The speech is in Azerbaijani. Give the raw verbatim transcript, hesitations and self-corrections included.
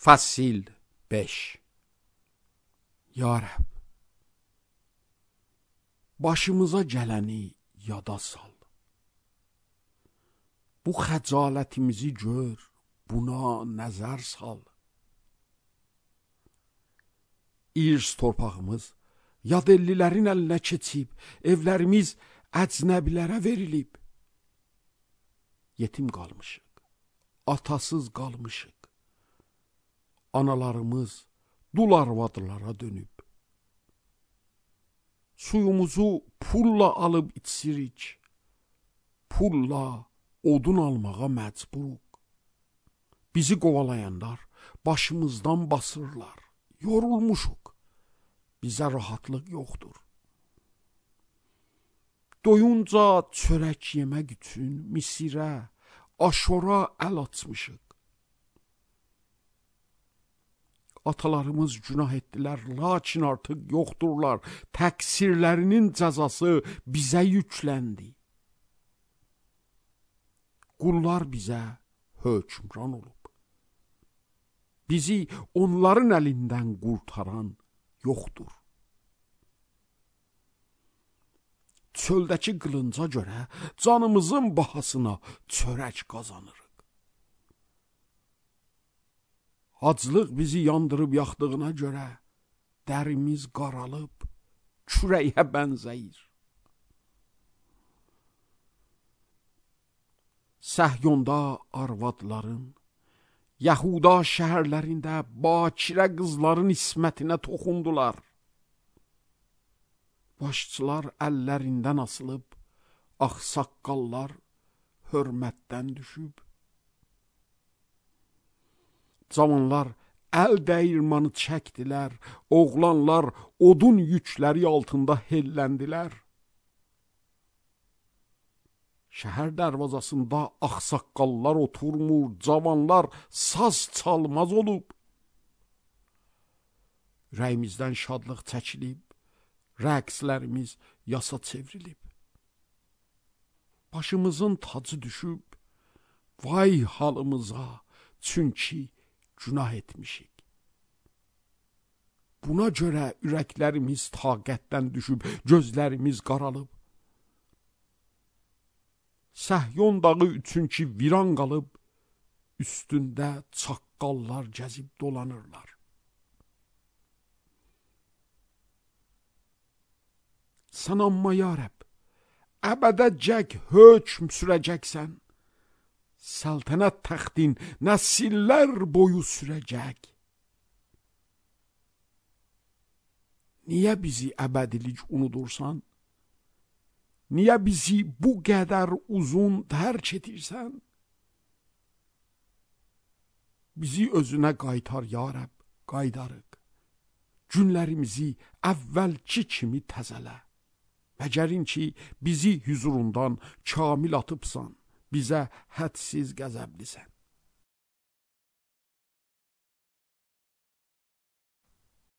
Fasil beş. Ya Rəbb, başımıza gələni yada sal. Bu xəcalətimizi gör, buna nəzər sal. İrs torpağımız yad ellilərin əlinə keçib, evlərimiz əcnəbilərə verilib. Yetim qalmışıq, atasız qalmışıq. Analarımız dul arvadlara dönüb. Suyumuzu pulla alıb içirik. Pulla odun almağa məcburuq. Bizi qovalayanlar başımızdan basırlar. Yorulmuşuq. Bizə rahatlıq yoxdur. Doyunca çörək yemək üçün Misirə, Aşora əl açmışıq. Atalarımız günah etdilər, lakin artıq yoxdurlar. Təqsirlərinin cəzası bizə yükləndi. Qullar bizə hökmran olub. Bizi onların əlindən qurtaran yoxdur. Çöldəki qılınca görə canımızın bahasına çörək qazanırıq. Aclıq bizi yandırıb yaxdığına görə dərimiz qaralıb, kürəyə bənzəyir. Səhyonda arvadların, Yahuda şəhərlərində bakirə qızların ismətinə toxundular. Başçılar əllərindən asılıb, ağsaqqallar hörmətdən düşüb. Cavanlar əl dəyirmanı çəkdilər, oğlanlar odun yükləri altında helləndilər. Şəhər dərvazasında ağsaqqallar oturmur, cavanlar saz çalmaz olub. Ürəyimizdən şadlıq çəkilib, rəqslərimiz yasa çevrilib. Başımızın tacı düşüb, vay halımıza, çünki günah etmişik. Buna görə ürəklərimiz taqətdən düşüb, gözlərimiz qaralıb. Səhyon dağı üçün ki viran qalıb, üstündə çaqqallar gəzib dolanırlar. Sən amma ya Rəbb, əbədəcək hökm sürəcəksən. Səltənət təxtin nəsillər boyu sürəcək. Niyə bizi əbədilik unudursan? Niyə bizi bu qədər uzun tərk edirsən? Bizi özünə qaytar ya Rəbb, qaydarıq. Günlərimizi əvvəlki kimi təzələ. Məgərin ki, bizi hüzurundan kamil atıbsan, bizə hədsiz qəzəblisən.